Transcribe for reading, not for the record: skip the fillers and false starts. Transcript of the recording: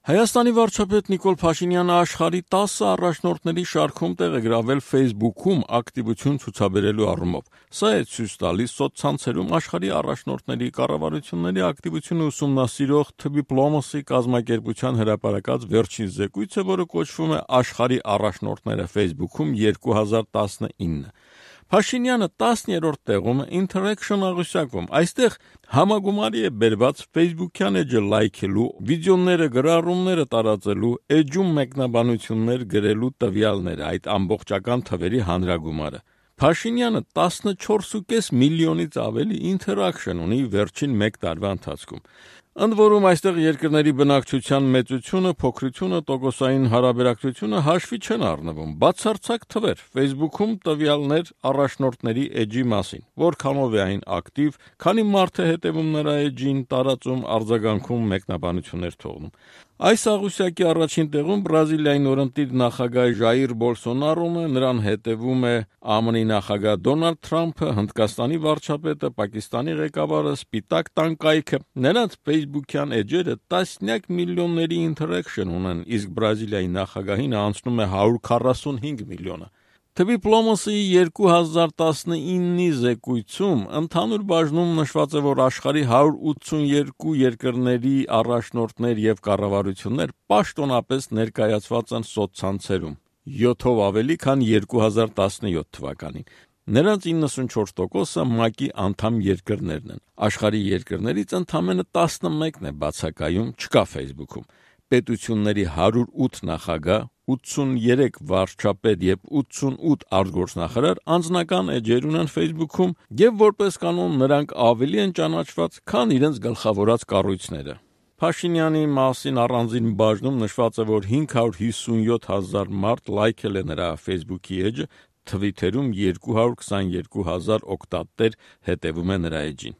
Հայաստանի վարչապետ Նիկոլ Փաշինյանը աշխարհի 10 առաջնորդների շարքում տեղ է գրավել Facebook-ում ակտիվություն ցուցաբերելու առումով։ Սա է ցույց տալիս սոցցանցերում աշխարհի առաջնորդների կառավարությունների ակտիվությունը ուսումնասիրող Diplomacy կազմակերպության հրապարակած վերջին զեկույցը, որը կոչվում է «Աշխարհի առաջնորդները Facebook-ում 2019»։ Փաշինյանը 10-րդ տեղում է Interaction աղյուսակում։ Այստեղ համագումարի է բերված Facebook-յան էջը լայքելու, վիդեոները, գրառումները տարածելու, էջում մեկնաբանություններ գրելու տվյալները, այդ ամբողջական թվերի հանրագումարը։ Փաշինյանը 14.5 միլիոնից ավելի interaction ունի վերջին 1 տարվա ընթացքում։ Ընդ որում այստեղ երկրների բնակչության մեծությունը, փոքրությունը, տոկոսային հարաբերակցությունը հաշվի չեն առնվում։ Բացարձակ թվեր Facebook-ում տվյալներ առաջնորդների էջի մասին, որքանով է այն ակտիվ, քանի մարդ է հետևում նրա էջին, տարածում, արձագանքում, մեկնաբանություններ թողնում։ Այս աղյուսակի առաջին տեղում Բրազիլիայի նորընտիր նախագահ Ժայիր Բոլսոնարոն է, նրան հետևում է ԱՄՆ նախագահ Դոնալդ Թրամփը, Հնդկաստանի վարչապետը, Պակիստանի ղեկավարը, Սպիտակ տան կայքը։ Նրանց Facebook-յան էջերը տասնյակ միլիոնների interaction ունեն, իսկ Բրազիլիայի նախագահին անցնում է 145 միլիոնը։ Diplomacy 2019-ի զեկույցում ընդհանուր բաժնում նշված է, որ աշխարհի 182 երկրների առաջնորդներ եւ կառավարություններ պաշտոնապես ներկայացված են սոցցանցերում, 7-ով ավելի, քան 2017 թվականին։ Նրանց 94%-ը ՄԱԿ-ի անդամ երկրներն են։ Աշխարհի երկրներից ընդամենը 11-ն է բացակայում, չկա Facebook-ում։ Պետությունների 108 նախագահ, 83 վարչապետ եւ 88 արտգործնախարար անձնական էջեր ունեն Facebook-ում եւ որպես կանոն նրանք ավելի են ճանաչված, քան իրենց գլխավորած կառույցները։ Փաշինյանի մասին առանձին բաժնում նշված է, որ 557,000 մարդ լայքել է նրա Facebook-ի էջը, Twitter-ում 222,000 օգտատեր հետևում է նրա էջին։